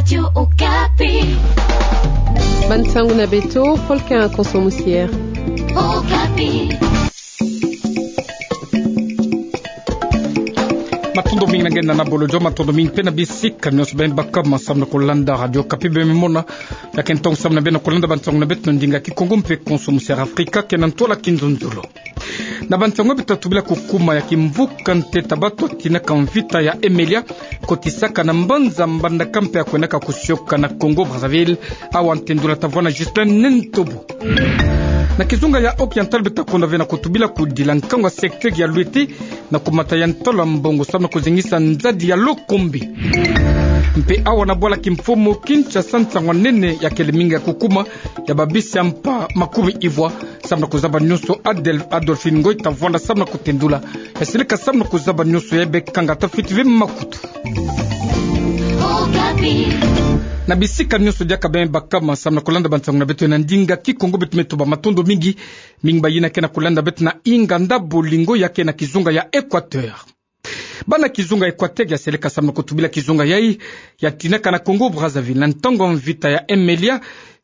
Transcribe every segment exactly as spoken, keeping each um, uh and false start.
Radio Okapi. Bansango na beto, Paul Kin Konso Musier. Okapi. Matondo mingi na nge na Bolo Joe, matondo mingi mpe na bisika nyonso beno baka ma samu na kulanda Radio Okapi beno mona. Ya ke ntangu samu na beno kulanda bansango na beto na ndinga Kikongo mpe Konso Musier Afrika, ke na ntwala kinzonzolo. Na bansango beto, tubila kukuma ya kimvuka nteta batu atinaka mvita ya Emelia, kotisaka na mbanza Mbandaka mpe ya kwendaka kusioka na Congo Brazzaville, awa ntendula tavwanda na Justin Nentobo. Na kizunga ya Oriental beto takonda ve na kutubila kudila nkangu ya secteur ya Louette na kumata ya ntolo ya mbongo samu na kuzengisa nzadi ya Lokombe. Mpe awa na bwala kimfumu Kinshasa, nsangu ya nene ya kele mingi ya kukuma ya babisi ya mpa makumi ivwa. Samu na kuzaba nyonso, Adel-, Adolphine Ngoy tavwanda samu na kutendula. Ya seleka samu na kuzaba nyonso, ya bê kanga tafiti ve makutu. Na bisika nyonso diaka beno baka ma samu na kulanda bansango na beto na ndinga Kikongo, beto me tuba matondo mingi. Mingi bayina ke na kulanda beto na inganda Bolingo ya ke na kizunga ya Equateur. Bana kizunga Equateur ya seleka samu na kutubila kizunga yayi ya tinaka na Congo Brazzaville na ntangu ya mvita ya Emelia,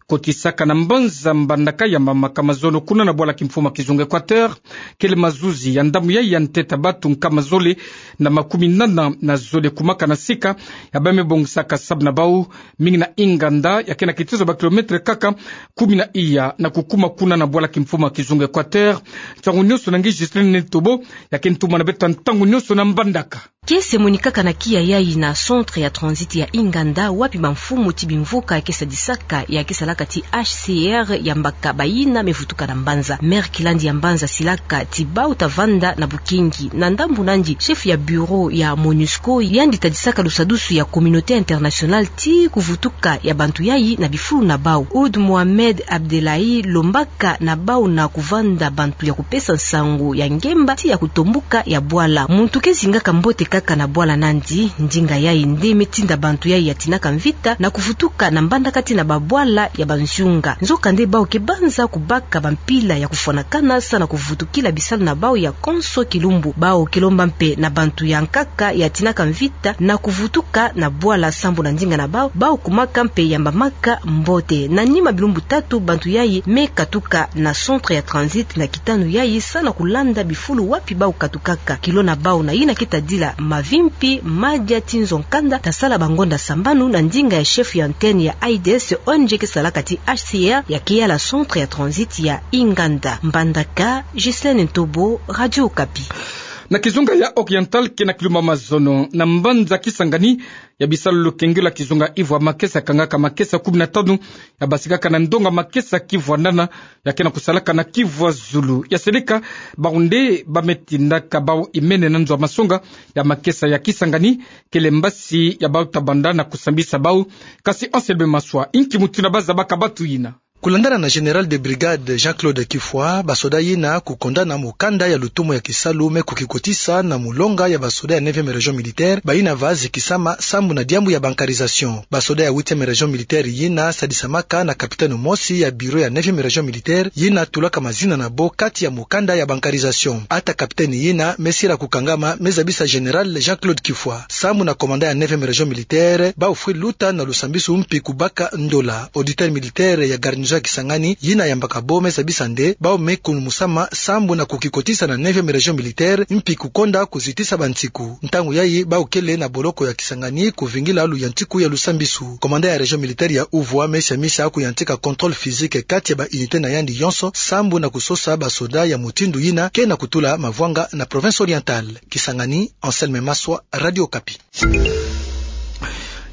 kotisaka na mbanza Mbandaka, ya mamaka mazono kuna na bwala kimfumu ya kizunga Equateur, kele mazuzi ya ndambu yayi ya nteta batu nkama zole na makumi nana na zole kumaka na sika, ya bê me bongisaka sabu na bau, mingi na inganda ya ke na kitezo ba kilomètre kaka kumi na iya na kukuma kuna na bwala kimfumu ya kizunga Equateur. Nsangu nyonso na nge Justine Nentobo, ya ke ntuma na beto ntangu nyonso na Mbandaka. Kiese monikaka na kiya yayi na centre ya transit ya Inganda, wapi bamfumu ti bimvuka ya ke sadisaka, ya ke salaka ti H C R, ya mbaka bayina me vutuka na mbanza. Maire Kilandi ya mbanza asilaka ti bau tavanda na bukingi. Na ndambu nandi, chef ya bureau ya MONUSCO, yandi tadisaka lusadusu ya communauté internationale ti kuvutuka ya bantu yayi na bifulu na bau. Ould Mohamed Abdellahi alombaka na bau na kuvanda bantu ya kupesa nsangu ya ngemba ti ya kutombuka ya bwala. Muntu ke zingaka mbote kaka na bwala nandi, ndinga yayi nde me tinda bantu yayi ya tinaka mvita na kuvutuka na Mbandaka ti na babwala ya banzunga. Nzokande bau ke banza kubaka bampila ya kufwanakana sa na kuvutukila bisalu na bau ya konso kilumbu. Bau ke lomba mpe na bantu ya nkaka ya tinaka mvita na kuvutuka na bwala sambu na ndinga na bau, bau kumaka mpe yambamaka mbote. Na nima bilumbu tatu, bantu yayi me katuka na centre ya transit na kitanu yayi sa na kulanda bifulu wapi bau katukaka. Kilo na bau na yina ke tadila mavimpi, madia ti nzo nkanda, tasala bangonda sambanu na ndinga ya chef ya antenne ya AIDS, O N G ke salaka ti H C R, ya ke yala centre ya transit ya Inganda. Mbandaka, Ghislaine Ntobo, Radio Okapi. Na kizunga ya Oriental ke na kilumbu ya mazono na mbanza Kisangani, ya bisalu lukengelo ya kizunga ivwa makesa kangaka makesa kumi na tanu, ya basikaka na ndonga makesa kivwa nana, ya ke na kusalaka na kivwa zulu. Ya seleka, bau nde ba me tindaka bau imene na nzo ya masonga ya makesa ya Kisangani, kele mbasi ya bau tabanda na kusambisa bau. Kasi Anselme Maswa, inki mutindu ba zabaka batu yina? Kulandana na Général de Brigade Jean-Claude Kifwa, basoda yina kukondana mukanda ya lutumu ya kisalu me kukikotisa na mulonga ya basoda ya neuvième région militaire, bayina va zikisama sambu na diambu ya bancarisation. Basoda ya huitième région militaire yina sadisamaka na capitaine mosi ya bureau ya neuvième région militaire, yina tulaka mazina na bo kati ya mukanda ya bancarisation. Ata capitaine yina me sila kukangama, me zabisa Général Jean-Claude Kifwa. Sambu na commandant ya neuvième région militaire, bau fwi luta na lusambisu mpi kubaka ndola. Auditeur militaire ya garnison ya Kisangani, yina yambaka bo me zabisa nde, bau me kunumusama sambu na kukikotisa na neuvième région militaire, mpi kukonda kuzitisa bansiku. Ntangu yayi bau kele na boloko ya Kisangani, kuvingila luyantiku ya lusambisu. Commandant ya région militaire ya Uvwa me siamisa kuyantika contrôle physique kati ya ba unité na yandi yonso, sambu na kusosa basoda ya mutindu yina ke na kutula mavwanga na province orientale. Kisangani, Anselme Maswa, Radio Okapi.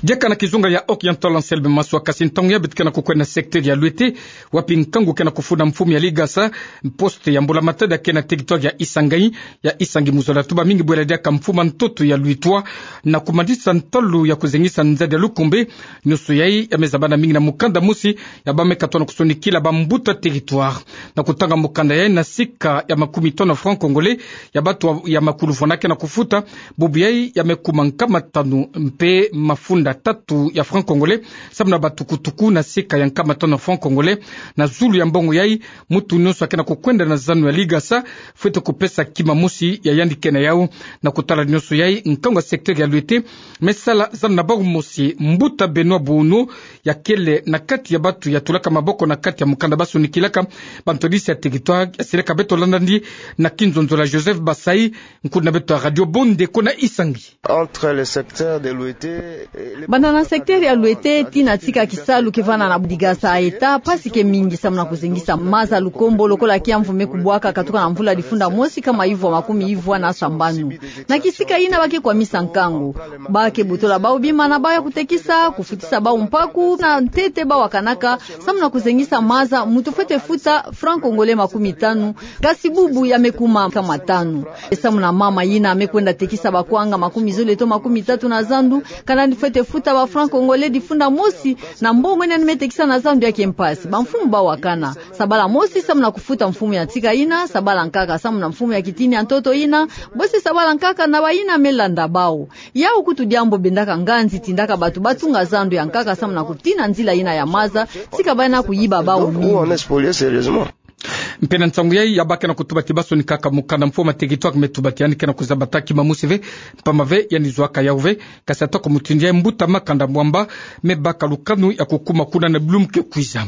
Diaka na kizunga ya Oriental, Anselme Maswa. Kasi ntangu yayi beto ke na kukwenda na secteur ya Louette, wapi nkangu ke na kufunda mfumu ya Ligasa poste ya mbula matadi ya ke na territoire ya Isangi, ya Isangi mu zola tuba mingi bwela diaka mfumu ya ntoto ya Louette na kumadisa ntalu ya kuzengisa nzadi ya Lukumbe. Nyonso yayi ya me zabana mingi na mukanda mosi ya ba me katwa na kusonikila bambuta territoire. Na kutanga mukanda yayi na sika ya makumi tanu francs congolais, ya batu ya makulufwana ke na kufuta, bubu yayi ya me kuma nkama tanu mpe mafunda tatu ya franc congolais, samu na batukutuku na seka ya nkama tanu ya franc congolais. Na zulu ya mbongo yai, mutu nyonso ake na kukwenda na zanu ya ligasa, fwete kupesa kima mosi ya yandi ke na yau. Na kutala nyonso yai, nkangu ya secteur ya Loite me sala zanu na bau mosi. Mbuta Benoît Bono, ya kele na kati ya batu ya tulaka maboko na kati ya mukanda ba sonikilaka bantwadisi ya territoire, ya silaka beto landa ndi na kinzonzolo ya Joseph Basai, nkuna beto ya Radio Bondeko na Isangi. Entre le secteur de Loite et le... Banda na secteur ya Loite tii na tika kisalu ke vanda na ligasa ya État, mpasi ke mingi samu na kuzengisa maza lukombo lokola kiamvu me kubwaka katuka na mvula difunda mosi nkama ivwa makumi ivwa na sambanu. Na kisika yina ba ke kwamisa nkangu. Ba ke botola bau bima na bau ya kutekisa, kufutisa bau mpaku na ntete bau wakanaka, samu na kuzengisa maza, mutu fwete futa franc congolais makumi tanu, kasi bubu ya me kuma nkama tanu. Samu na mama yina me kwenda tekisa bakwanga makumi zole to makumi tatu na zandu, kana ni fwete futa ba franc congolais difunda mosi, na mbongo yina ni me tekisa na zandu ya ke mpasi. Bamfumu bau wakana. Sabala mosi samu na kufuta mfumu ya tika yina, sabala nkaka samu na mfumu ya kitini ya ntoto yina, bosi sabala nkaka na bayina me landa bau. Yau kutu diambu bendaka nganzi, tindaka batu batunga zandu ya nkaka samu na kutina nzila yina ya maza, tika bayina kuyiba bau mingi. Mpe na nsangu yai ya ba ke na kutubati ba sonikaka mukanda, mfumu ya territoire me tubati yandi ke na kuzabata kima mosi ve, mpamba ve yandi zwaka yau ve. Kasi atako mutindu yai, mbuta Makanda Mwamba me baka lukanu ya kukuma kuna na bilumbu ke kwiza.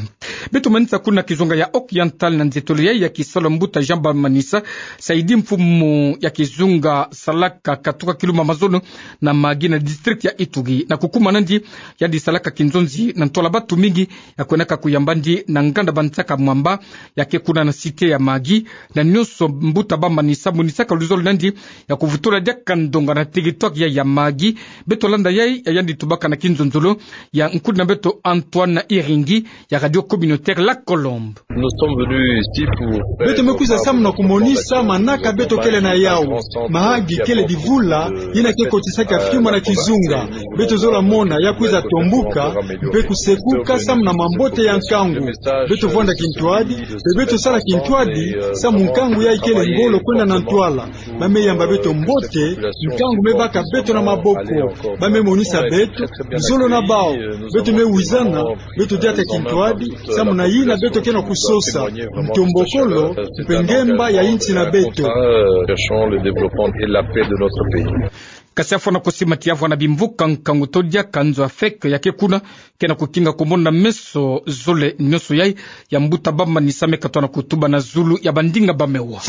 Beto manisa kuna na kizunga ya Occidental na nzietolo yai ya kisalu ya mbuta Jean Bamanisa Saidi, mfumu ya kizunga salaka katuka kilumbu ya mazono na Magi na district ya Ituri. Na kukuma nandi, yandi salaka kinzonzi na ntwala batu mingi ya kwendaka kuyamba ndi na nganda ba nsaka mwamba ya ke kuna na cité ya Magi. Na nyonso mbuta Bamanisa monisaka luzolo nandi ya kuvutula diaka ndonga na territoire ya, ya Magi. Beto landa yai ya yandi tubaka na kinzonzolo ya nkuna beto Antoine Iringi ya Radio Communautaire La Colombe. Nous sommes venus ici pour... Beto me kwiza samu na kumonisa manaka beto kele na yau. Mahagi kele divula yina ke kotisaka fiuma na kizunga. Beto zola mona ya kwiza tombuka mpe kusekuka samu na mambote ya nkangu. Beto vwanda kintwadi, mpe beto sala kintwadi, samu nkangu yai kele ngolo kwenda na ntwala. Ba me yamba beto mbote, nkangu me baka beto na maboko. Ba me monisa beto luzolo na bau. Beto me wizana, beto diata kintwadi, samu na yina beto ke na kusosa, ntombokolo mpe ngemba ya insi na beto. Cherchons le développement et la paix de notre pays. Kasi afwana kusimati ya vwanda bimvuka nkangu to diaka nzo ya feke ya ke kuna, ke na kukinga kumona meso zole nyonso yai ya mbuta Bamanisa me katwa na kutuba na zulu ya bandinga ba me wa.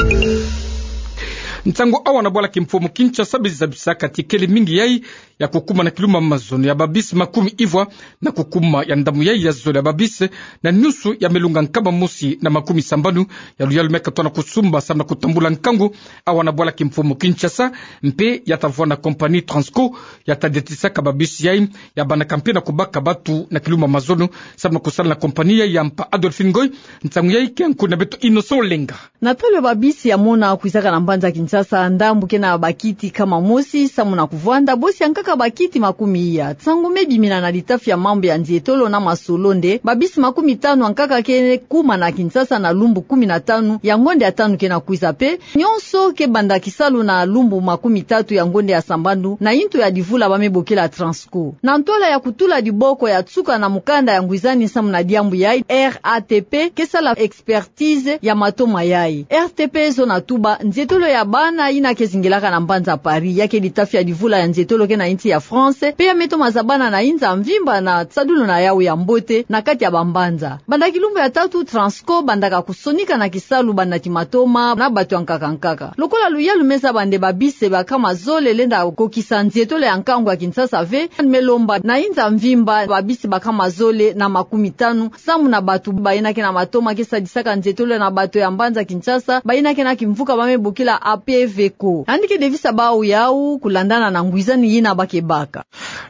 Nsangu awa na bwala kimfumu Kinshasa, bizi zabisaka ti kele mingi yai ya kukuma na kilumbu ya mazono ya babisi makumi ivwa, na kukuma ya ndambu yai ya zole ya babisi, na nyunsu ya melunga nkama mosi na makumi sambanu ya luyalu me katwa na kusumba samu na kutambula nkangu awa na bwala kimfumu Kinshasa. Mpe ya ta vwanda compagnie Transco ya ta diatisaka babisi yai, ya bandaka mpe na kubaka batu na kilumbu ya mazono samu na kusala na compagnie yai ya mpa. Adolphine Ngoy, nsangu yai ke nkuna beto Innocent Olenga. Na tolo ya babisi ya mona kwizaka na mbanza Kinshasa, ndambu ke na bakiti nkama mosi samu na kuvwanda, bosi ya nkaka bakiti makumi iya. Nsangu me bimina na litafi ya mambu ya nzietolo na masolo nde babisi makumi tanu ya nkaka ke kuma na Kinshasa na lumbu kumi na tanu ya ngonde ya tanu ke na kwiza, mpe nyonso ke banda kisalu na lumbu makumi tatu ya ngonde ya sambanu na intu ya divula ba me bokila Transco. Na ntwala ya kutula diboko ya nsuka na mukanda ya ngwizani samu na diambu yai, R A T P ke sala expertise ya matoma yai. R T P zo na tuba, nzietolo ya bana yina ke zingilaka na mbanza Paris, ya ke litafi ya divula ya nzietolo ke na insi ya France, mpe ya me toma zabana na inza mvimba na sadulu na yau ya mbote na kati ya bambanza. Banda kilumbu ya tatu, Transco bandaka kusonika na kisalu banda ti matoma na batu ya nkaka nkaka. Lokola luyalu me zaba nde babisi ba nkama zole lenda kokisa nzietolo ya nkangu ya Kinshasa ve, me lomba na inza mvimba babisi ba nkama zole na makumi tanu, samu na batu bayina ke na matoma ke sadisaka nzietolo na bato ya mbanza Kinshasa, bayina ke na kimvuka ba me bokila A P V ko. Yandi ke devisa bau yau kulandana na ngwizani yina ba ke baka.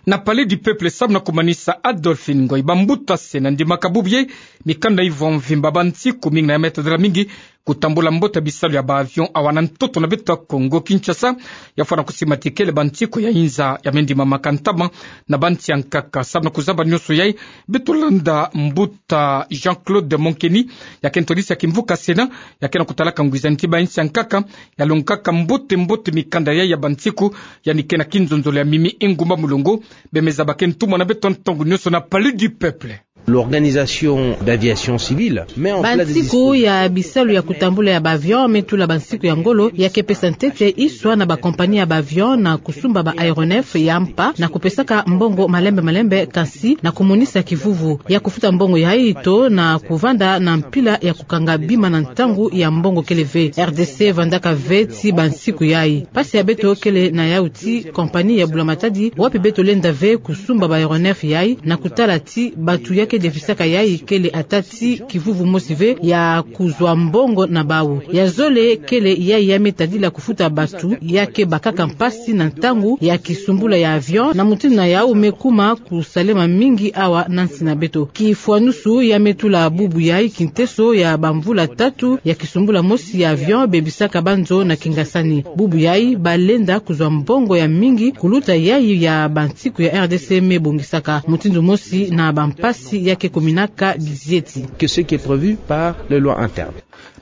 Na Palais du Peuple samu na kumanisa, Adolphine Ngoy, bambuta se na ndimaka bubu yai, mikanda ivwa mvimba ba nsiku mingi na ya me tadila mingi kutambula mbote ya bisalu ya ba avion awa na ntoto na beto ya Kongo Kinshasa, ya fwana kusimatikele bansiku ya inza ya mendima makantama na bansi ya nkaka. Samu na kuzaba nionso yayi, beto landa mbuta Jean-Claude Monkeni, ya ke ntwadisi ya kimvuka Sénat, ya ke na kutalaka ngwizani ti bansi ya nkaka, ya longaka mbote mbote mikanda yayi ya bansiku, yandi ke na kinzonzolo ya mimi ingumba mulongo. Bemeza ba ke ntumwa na beto ntangu nionso na Palais du Peuple. L'organisation d'aviation civile met en place des dispositifs. Bansiku ya bisalu ya kutambula ya ba avion me tula bansiku ya ngolo, ya ke pesa ntete iswa na ba compagnie ya ba avion na kusumba ba aéronef ya mpa na kupesaka mbongo malembe malembe, kansi na kumonisa kivuvu ya kufuta mbongo yayi to na kuvanda na mpila ya kukanga bima na ntangu ya mbongo kele ve. R D C vandaka ve ti bansiku yayi. Mpasi ya beto kele na yawu ti compagnie ya bula-matadi, wapi beto lenda ve kusumba ba aéronef yayi, na kutala ti batu ya ke defisaka yayi kele ata ti kivuvu mosi ve ya kuzwa mbongo na bawu. Ya zole kele yayi ya me tadila kufuta batu ya ke bakaka mpasi na ntangu ya kisumbula ya avion, na mutindu na yawu me kuma kusalema mingi awa na nsi na beto. Kifwanusu ya me tula bubu yayi kinteso ya bamvula tatu ya kisumbula mosi ya avion bebisaka banzo na kingasani. Bubu yayi balenda kuzwa mbongo ya mingi kuluta yayi ya bansiku ya R D C me bongisaka, mutindu mosi na bampasi ya ke kuminaka bizieti. Que ce qui est prévu par les lois internes.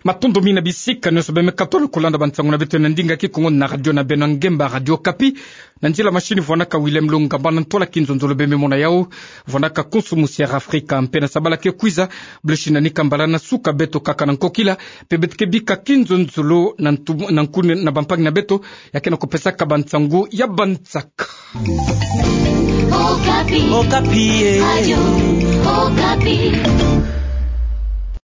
Matondo mingi na bisika nionso beme katono kulanda bansangu na beto na ndinga Kikongo na radio na beno ngemba Radio Okapi. Na nzila machine vwanaka Willem Lungamba, na ntwala kinzonzolo beme mona yawu vwanaka Kunsu Musi ya Afrika. Mpe na sabala ke kwiza, blo shi na nika mbala na suka beto kaka na nkokila, mpe beto ke bika kinzonzolo na ntu-, na nkuni na bampangi na beto, ya ke na kupesaka bansangu ya bansaka. Okapi. Okapi, eh. Radio Okapi.